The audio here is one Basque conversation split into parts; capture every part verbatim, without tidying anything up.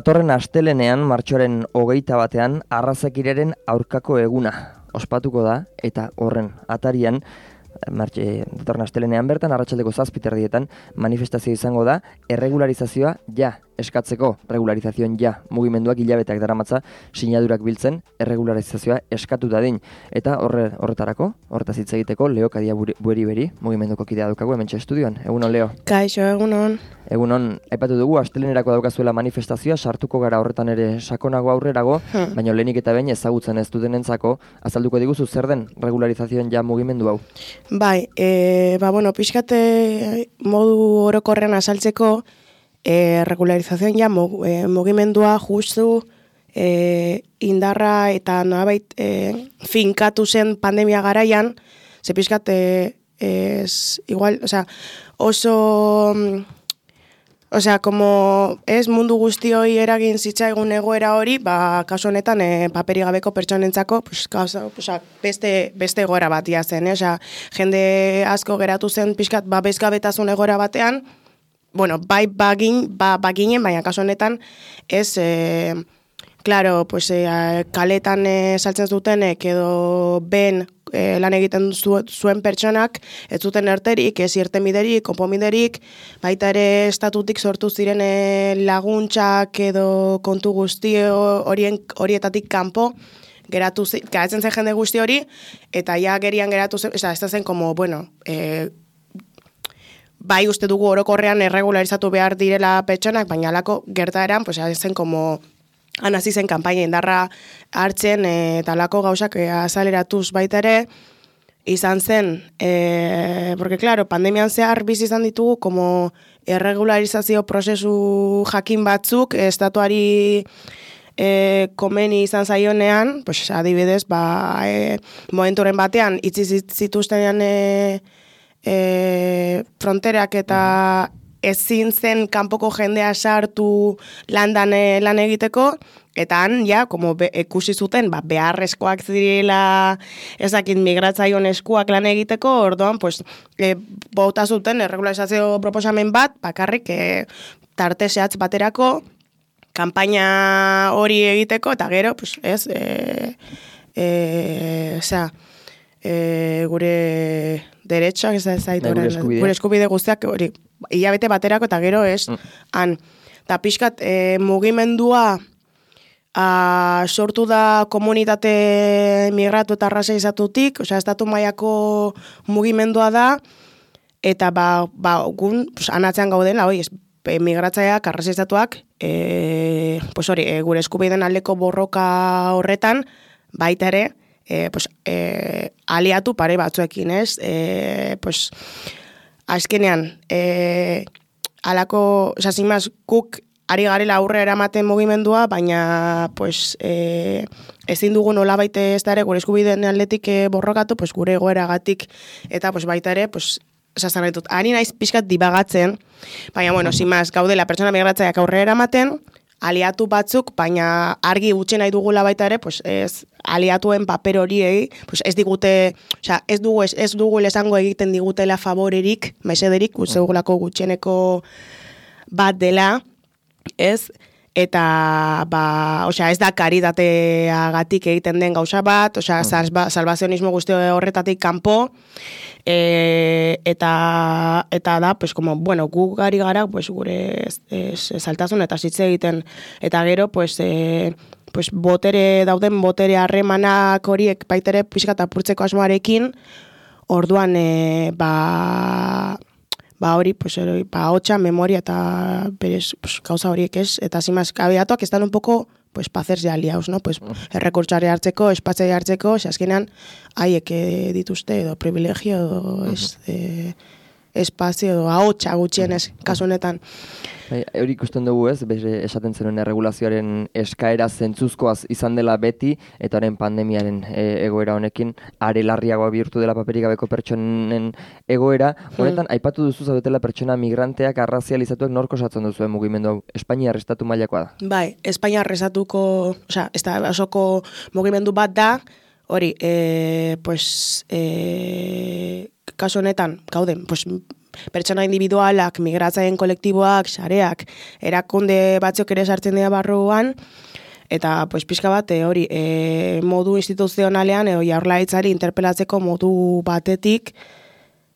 Datorren astelenean, martxoaren hogeita batean, arrazakiraren aurkako eguna ospatuko da, eta horren atarian, martxe, datorren astelenean bertan, arratsaldeko zazpiterdietan, manifestazio izango da, erregularizazioa ja eskatzeko, regularizazioen ja, mugimenduak hilabeteak daramatza, sinadurak biltzen, erregularizazioa eskatu dadin. Eta horre, horretarako, horretaz hitz egiteko, Leo Kadia Bueri Beri, mugimenduko kidea daukagu, hementxe estudioan. Egunon, Leo. Kaixo, egunon. Egunon, aipatu dugu, astelenerako daukazuela manifestazioa, sartuko gara horretan ere sakonago aurrerago, hmm. baina lehenik eta behin ezagutzen ez dutenentzako, azalduko diguzu zer den regularizazioen ja mugimendu hau? Bai, e, ba, bueno, pixkate modu orokorrean azaltzeko, e, regularizazioen ja mugimendua justu e, indarra eta nolabait e, finkatu zen pandemia garaian, ze pixkate ez, igual, o sea, oso... O sea, como ez mundu guztioi eragin zitzaigun egoera hori, ba, kasu honetan e, paperi gabeko pertsonentzako, pues, kausa, pues, beste, beste egoera batia zen, eh? Osea, jende asko geratu zen pixkat babesgabetasun egoera batean, bueno, bai bagin, ba, baginen, baina kasu honetan ez, e, claro, pues, e, kaletan e, saltzen zutenek edo ben E, lan egiten zu, zuen pertsonak, ez zuten erterik, ez irtenbiderik, konponbiderik, baita ere estatutik sortu ziren e, laguntzak edo kontu guzti horien horietatik kanpo, geratu zi, geratzen zen jende guzti hori, eta ja gerian geratu zen, ez da zen, como, bueno, e, bai uste dugu orokorrean erregularizatu behar direla pertsonak, baina alako gertaeran, pues, zen, como... Han hasi zen kanpaina indarra hartzen eta alako gauzak azaleratuz baita ere, izan zen, e, porque claro, pandemian zehar bizi izan ditugu, como erregularizazio prozesu jakin batzuk, estatuari e, komeni izan zaionean, pues adibidez, ba, e, momenturen batean, itzi zituztenean e, e, fronterak eta... ezin zen kanpoko jendea sartu landan lan egiteko, eta han, ja, como be, ikusi zuten, ba, beharrezkoak zirela ezakit migratzaion eskuak lan egiteko, orduan, pues, e, bauta zuten erregularizazio proposamen bat, bakarrik e, tarte zehatz baterako, kanpaina hori egiteko, eta gero, pues, ez, e, e, osea, e, gure derechoak, ez da, ez da, gure eskubide. Gure eskubide guztiak, hori, hilabete baterako eta gero ez, mm. han, eta pixkat e, mugimendua a, sortu da komunitate migratu eta arrasa izatutik, osea, estatu mailako mugimendua da, eta ba, ba gun, pues, anatzean gaudela, hoi, migratzaileak, arrasa izatuak, e, pues hori, e, gure eskubideen aldeko borroka horretan, baita ere, e, pues, e, aliatu pare batzuekin, ez, e, pues, azkenean, e, alako, oza, zimaz, guk ari garela aurre eramaten mugimendua, baina, pues, e, ezin dugu nola baite ez da ere, gure eskubideen atletik e, borrokatu, pues, gure egoeragatik, eta, pues, baita ere, pues, esazan ditut, ari naiz pixkat dibagatzen, baina, bueno, zimaz, gaudela pertsona migratzaileak aurre eramaten, aliatu batzuk, baina argi utzi nahi dugula baita ere, pues, ez, aliatuen paper horiei, pues ez digute, osea, ez dugu ez, ez dugu esango egiten digutela favorerik, mesederik, uste dugulako gutxieneko bat dela, ez, eta, ba, osea, ez da karitateagatik egiten den gauza bat, osea, salba, salvazionismo guzti horretatik kanpo, e, eta, eta da, pues, como, bueno, gu gari gara, pues, gure saltasun eta zitze egiten, eta gero, pues, e, pues botere dauden botere harremanak horiek baitere pixkat apurtzeko asmoarekin, orduan e, ba ba hori pues hori ba hotsa memoria eta berez pues, gauza horiek ez eta simaz kabeatuak están un poco pues para hacerse aliados, ¿no? Pues errekurtsare hartzeko, espatzea hartzeko, ze azkenan haiek dituzte edo privilegio edo ez e, espazio edo ahotsa gutxienez kasu honetan. Hori ikusten dugu ez, esaten zenuen erregulazioaren eskaera zentzuzkoaz izan dela beti, eta horren pandemiaren e, egoera honekin, are larriagoa bihurtu dela paperik gabeko pertsonen egoera. Honetan, hmm. aipatu duzu zaudetela pertsona migranteak arrazializatuak norko osatzen duzu mugimendu hau? Espainia arrestatu mailakoa da? Bai, Espainia arrestatuko, osea, ez da osoko mugimendu bat da, hori, e, pues, e, kasu honetan, gauden, pues, pertsona individualak, migratzaien kolektiboak, sareak, erakunde batzuk ere sartzen dira barruan, eta pues pixka bat e, hori e, modu instituzionalean edo jaurlaritzari interpelatzeko modu batetik,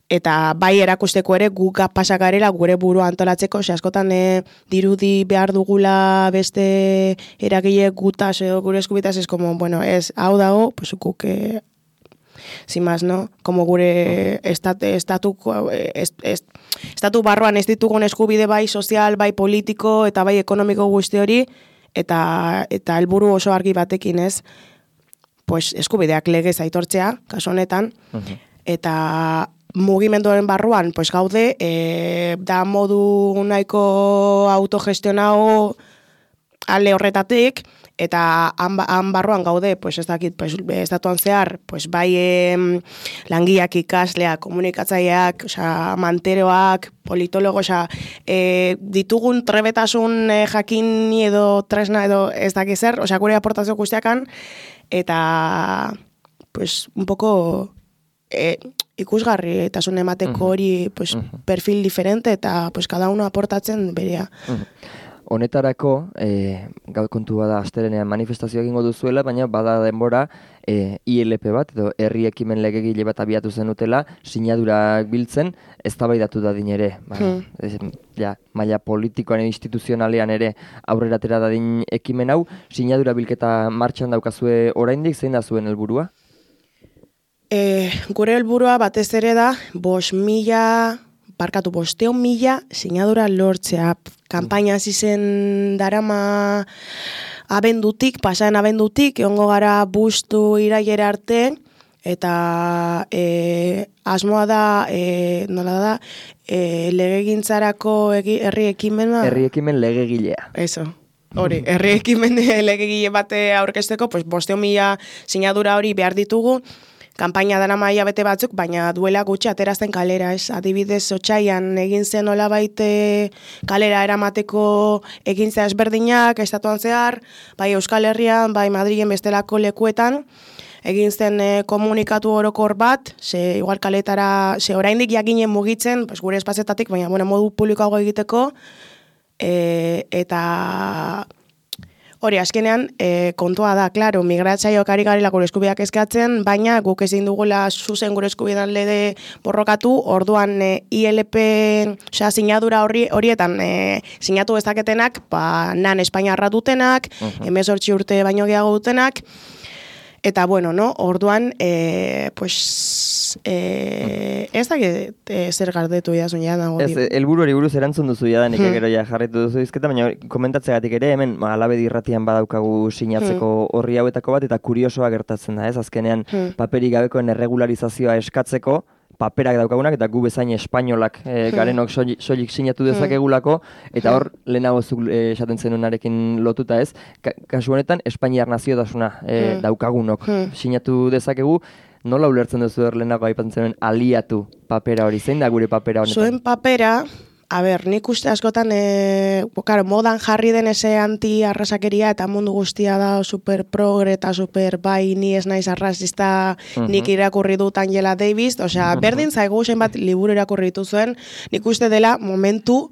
eta bai erakusteko ere guk pasagarela gure burua antolatzeko, ose askotan e, dirudi behar dugula beste eragile gutaz edo gure eskubitaz, ez como, bueno, ez, hau dago, pues guk, e, sin más, no? Como gure estat, estatu, est, est, estatu barruan ez ditugun eskubide bai sozial, bai politiko eta bai ekonomiko guzti hori, eta eta helburu oso argi batekin, ez? Pues eskubideak legez aitortzea, kasu honetan, uh-huh. eta mugimenduaren barruan, pues gaude, e, da modu nahiko autogestionao ale horretatik, eta han, han barruan gaude, pues ez dakit, pues, estatuan zehar, pues bai em, langiak, ikasleak, komunikatzaileak, osea, manteroak, politologo, osea, e, ditugun trebetasun e, jakini edo tresna edo ez dakit zer, osea, gure aportazio guztiakan, eta, pues, un poco e, ikusgarri eta zune emateko hori pues, uh-huh. perfil diferente eta pues, cada uno aportatzen berea. Uh-huh. Honetarako, e, gaur kontua da astelenean manifestazioa egingo duzuela, baina bada denbora e, I L P bat, edo herri ekimen legegile bat abiatu zenutela, sinadurak biltzen, eztabaidatu dadin ere. Ba, hmm. ez, ja, maila politikoan edo instituzionalean ere aurrera atera dadin ekimen hau, sinadura bilketa martxan daukazue oraindik, zein da zuen helburua? E, gure helburua batez ere da, bos mila, barkatu bosteon mila sinadura lortzea. Kampaina hasi zen darama abendutik, pasaren abendutik, egongo gara bustu iraiera arte, eta e, asmoa da, e, nola da, e, legegintzarako egi, herri ekimena. Herri ekimen legegilea. Eso. Hori, herri ekimen legegile bate aurkezteko, pues bosteon mila sinadura hori behar ditugu, kanpaina dara maia bete batzuk, baina duela gutxi aterazten kalera, ez? Adibidez, otsaian egin zen nolabait kalera eramateko egintza ezberdinak, estatuan zehar, bai Euskal Herrian, bai Madrilen bestelako lekuetan, egin zen e, komunikatu orokor bat, ze igual kaletara, ze oraindik jakinen mugitzen, pues, gure espazietatik, baina bueno, modu publikoago egiteko, e, eta hori, azkenean, e, kontua da, klaro, migratzaileak ari garela gure eskubideak eskatzen, baina guk ezin dugula zuzen gure eskubidean lede borrokatu, orduan e, I L P, osea, sinadura hori, horietan e, sinatu ezaketenak, ba, nan Espainiarra dutenak, uh-huh. hemezortzi urte baino gehiago dutenak, eta bueno, no, orduan, e, pues, e, ez da e, zer gardetu jazun ja nago. Ez, helburu hori buruz erantzun duzu jadanik hmm. gero ja jarritu duzu izketa, baina komentatzegatik ere, hemen Alabedi irratian badaukagu sinatzeko hmm. horri hauetako bat, eta kuriosoa gertatzen da, ez? Azkenean, hmm. paperik gabekoen erregularizazioa eskatzeko, paperak daukagunak, eta gu bezain espainolak e, garenok soilik sinatu dezakegulako, eta hor, lehenago zuk esaten zenunarekin lotuta ez, ka, kasu honetan, Espainiar naziotasuna e, daukagunok sinatu dezakegu, nola ulertzen duzu er lehenago aipatzen zenuen aliatu papera hori, zein da gure papera honetan? Zuen papera, a ber, nik uste askotan, e, claro, modan jarri den ese anti-arrasakeria eta mundu guztia da super progre eta super bai ni ez naiz arrasista uh-huh. nik irakurri dut Angela Davis, osea, uh-huh. berdin zaigu zenbat liburu irakurri dituzuen, nik uste dela momentu,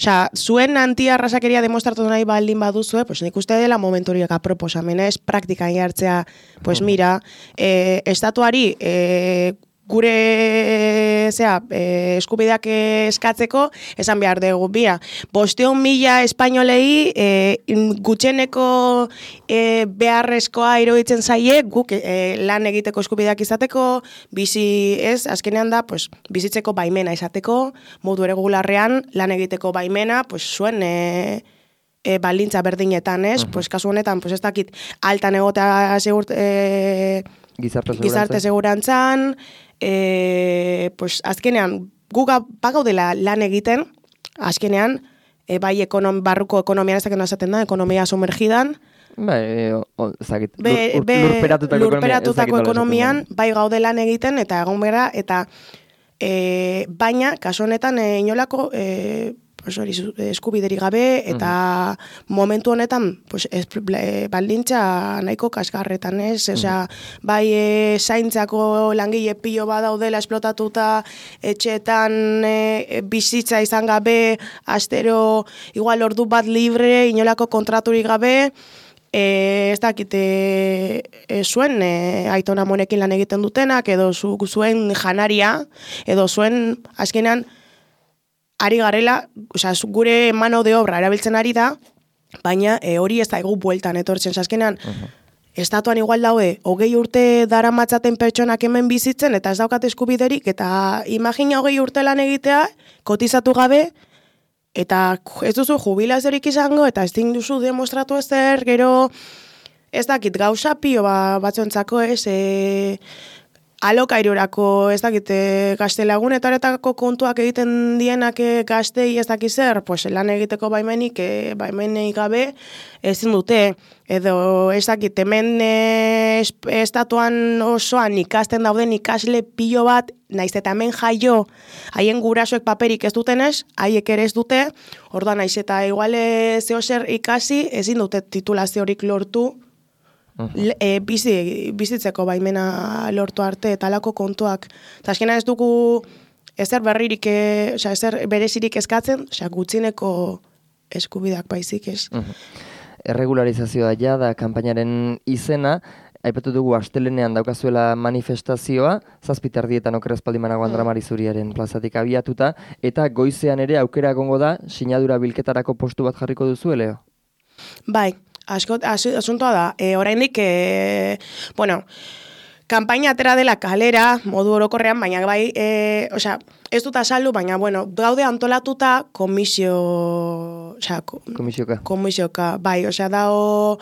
osea, zuen anti-arrasakeria demostratu nahi baldin baduzue, pues nik uste dela momentu horiek aproposamena, ez praktikan jartzea, pues mira, e, estatuari, e, gure zea, e, eskubideak eskatzeko, esan behar dugu, bia, bosteon mila espainolei e, gutxeneko e, beharrezkoa iruditzen zaie, guk e, lan egiteko eskubideak izateko, bizi ez, azkenean da, pues, bizitzeko baimena izateko, modu erregularrean, lan egiteko baimena, pues, zuen e, e, baldintza berdinetan, ez, uh-huh. pues, kasu honetan, pues, ez dakit, altan egotea segurt, e, gizarte, gizarte segurantzan, E, pues, azkenean, guga bagaudela lan egiten, azkenean, e, bai ekonom, barruko ekonomian ez dakena esaten da, ekonomia sumergidan, bai, e, o, zakit, be, lur, be, lurperatutako, lurperatutako ekonomian, bai gaude lan egiten, eta egon bera, eta e, baina, kasu honetan, e, inolako, e, pues hori eskubideri gabe, eta mm. momentu honetan pues, ez, baldintza nahiko kasgarretan, ez? Mm. Osea, bai e, zaintzako langile pilo badaudela esplotatuta, etxeetan e, bizitza izan gabe, astero igual ordu bat libre, inolako kontraturik gabe, E, ez dakit, e, e, zuen e, aitona monekin lan egiten dutenak, edo zu, zuen janaria, edo zuen, azkenean, ari garela, oza, gure mano de obra erabiltzen ari da, baina e, hori ez da egu bueltan etortzen, azkenean, uh-huh. Estatuan igual daude, hogei urte dara matzaten pertsonak hemen bizitzen, eta ez daukat eskubiderik, eta imagina hogei urte lan egitea, kotizatu gabe, eta ez duzu jubilaziorik izango, eta ez duzu demostratu ezer, gero ez dakit gauza pio ba, batzuentzako ez, e, alokairurako ez dakit e, gaztelagunetaretako kontuak egiten dienak e, gaztei ez dakit zer, pues, lan egiteko baimenik, e, baimenik gabe ezin dute, edo ez dakit hemen e, estatuan osoan ikasten dauden ikasle pilo bat, naiz eta hemen jaio, haien gurasoek paperik ez dutenez, haiek ere ez dute, orduan naiz eta igual zeo zer ikasi, ezin dute titulaziorik lortu, uh-huh. e, bizi, bizitzeko baimena lortu arte, eta alako kontuak. Eta azkena ez dugu ezer berririk, e, oza, ezer berezirik eskatzen, oza, gutxineko eskubidak baizik ez. Uh-huh. Erregularizazioa ja da kanpainaren izena, aipatu dugu astelenean daukazuela manifestazioa, zazpiterdietan okerrezpaldimanago Andra Mari Zuriaren plazatik abiatuta, eta goizean ere aukera egongo da, sinadura bilketarako postu bat jarriko duzu, Leo? Bai, asko, as, asuntoa da, e, oraindik, e, bueno, kanpaina atera dela kalera, modu orokorrean, baina bai, e, osea, ez dut azaldu, baina, bueno, gaude antolatuta komisio, osea, komisioka. Komisioka, bai, osea, dao,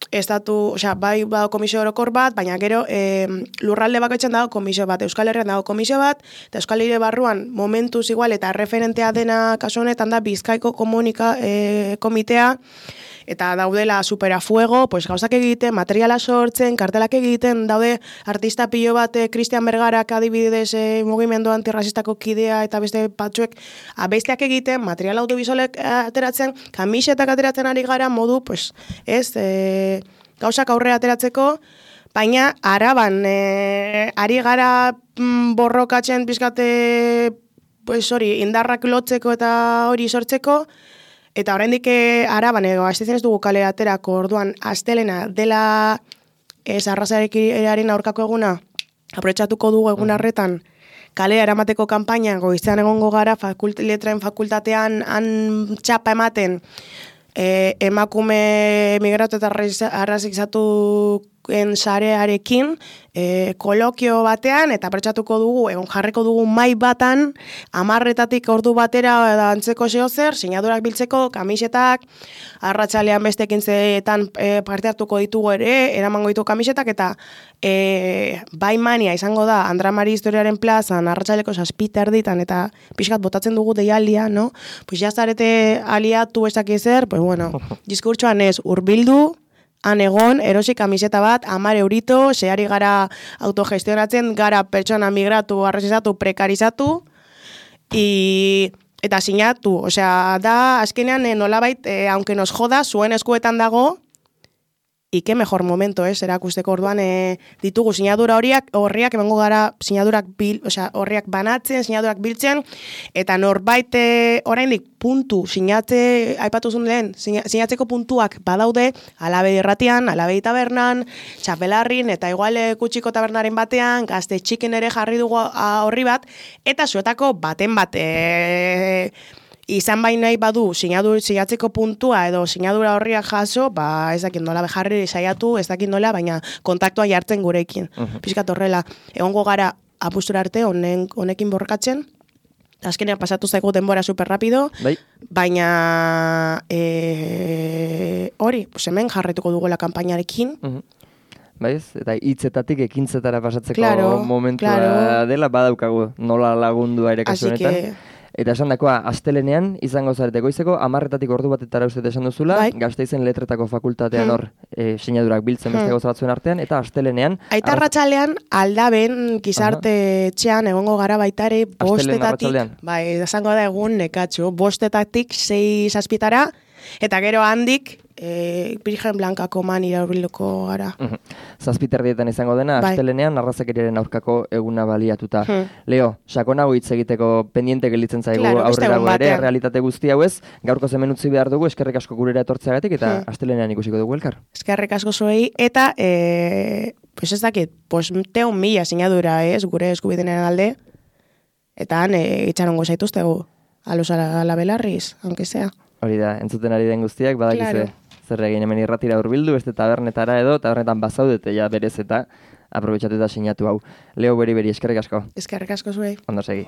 estatu, osea, bai badago komisio orokor bat, baina gero e, lurralde bakoitzen dago komisio bat, Euskal Herrian dago komisio bat, eta Euskal Herri barruan momentuz igual eta referentea dena kasu honetan da Bizkaiko komunika e, komitea, eta daudela superafuego, pues gauzak egiten, materiala sortzen, kartelak egiten, daude artista pilo bat, Cristian Bergarak adibidez e, mugimendu antirrasistako kidea eta beste batzuek abestiak egiten, material audiovisualek ateratzen, kamisetak ateratzen ari gara modu, pues ez, e, gauzak aurre ateratzeko, baina araban e, ari gara mm, borrokatzen pizkate, pues hori, indarrak lotzeko eta hori sortzeko, eta oraindik araban ego, astezen ez dugu kalera aterako, orduan, astelena dela ez arrazarekin aurkako eguna, aprobetxatuko dugu egun harretan, kalera eramateko kanpaina, goizean egongo gara, fakult, letraen fakultatean, han txapa ematen, e, emakume migratu eta arrazikzatu sarearekin, e, kolokio batean, eta aprobetxatuko dugu, egon jarriko dugu mai batan, amarretatik ordu batera edo antzeko zehozer, sinadurak biltzeko, kamisetak, arratsalean beste ekintzetan e, parte hartuko ditugu ere, eramango ditugu kamisetak, eta e, bai mania izango da, Andra Mari Historiaren plazan, arratsaleko zazpita erditan, eta pixkat botatzen dugu deialdia, no? Pues jazarete aliatu ez dakizer, pues bueno, diskurtsoan ez, urbildu, han egon, erosi kamiseta bat, amar eurito, zehari gara autogestionatzen, gara pertsona migratu, arrazizatu, prekarizatu, i, eta sinatu. Osea, da, azkenean, nolabait, eh, aunque nos joda, zuen eskuetan dago, ike mejor momento, ez, erakusteko orduan, e, ditugu sinadura horiak, horriak, emango gara sinadurak bil, osea, horriak banatzen, sinadurak biltzen, eta norbait e, oraindik puntu, sinatze, aipatu zuen lehen, sinatzeko puntuak badaude, Alabedi irratian, Alabedi tabernan, Txapelarrin, eta igual e, Kutsiko tabernaren batean, Gazte Txiken ere jarri dugu a, horri bat, eta zuetako baten bat, e, izan bain nahi badu sinadur, sinatzeko puntua edo sinadura horriak jaso, ba ez dakit nola bejarri saiatu, ez dakit nola, baina kontaktua jartzen gurekin. Uh-huh. Pizkat horrela, egongo gara apustura arte honen, honekin borrokatzen, azkenean pasatu zaigu denbora super rapido, bai. Baina e, hori, pues hemen jarraituko dugu la kanpainarekin. Uh-huh. Baiz, eta hitzetatik ekintzetara pasatzeko claro, momentua claro. Dela badaukagu nola lagundua ere kasu honetan. Eta esan dakoa, astelenean, izango zarete goizeko, amarretatik ordu batetara uste esan duzula, bai. Gasteizen letretako fakultatean Hmm. hor, e, sinadurak biltzen beste Hmm. gauza batzuen artean, eta astelenean... Aita arratsalean aldaben gizarte etxean egongo gara baitare bostetatik, arratsaldean? bai, esango da egun nekatxo, bostetatik sei zazpitara, eta gero handik, e, Virgen Blankako man iraurbilduko gara. Mhm. Zazpiterdietan izango dena, Bai. astelenean arrazakeriaren aurkako eguna baliatuta. Hmm. Leo, sakonago hitz egiteko pendiente gelditzen zaigu Claro, beste aurrerago egun ere, batean. realitate guzti hau ez, gaurko hemen utzi behar dugu, eskerrik asko gurera etortzeagatik, eta Hmm. astelenean ikusiko dugu elkar. Eskerrik asko zuei, eta, e, pues ez dakit, pues teun mila sinadura ez, gure eskubidenen alde, eta han e, itxarongo zaituztegu, alos ala, ala belarriz, aunque sea. Hori da, entzuten ari den guztiak, badakizue, Claro. zer egin hemen irratira hurbildu, beste tabernetara edo, tabernetan bazaudete ja berez eta aprobetxatu eta sinatu hau. Leo beri beri, eskerrik asko, Eskerrik asko zuei. ondo segi.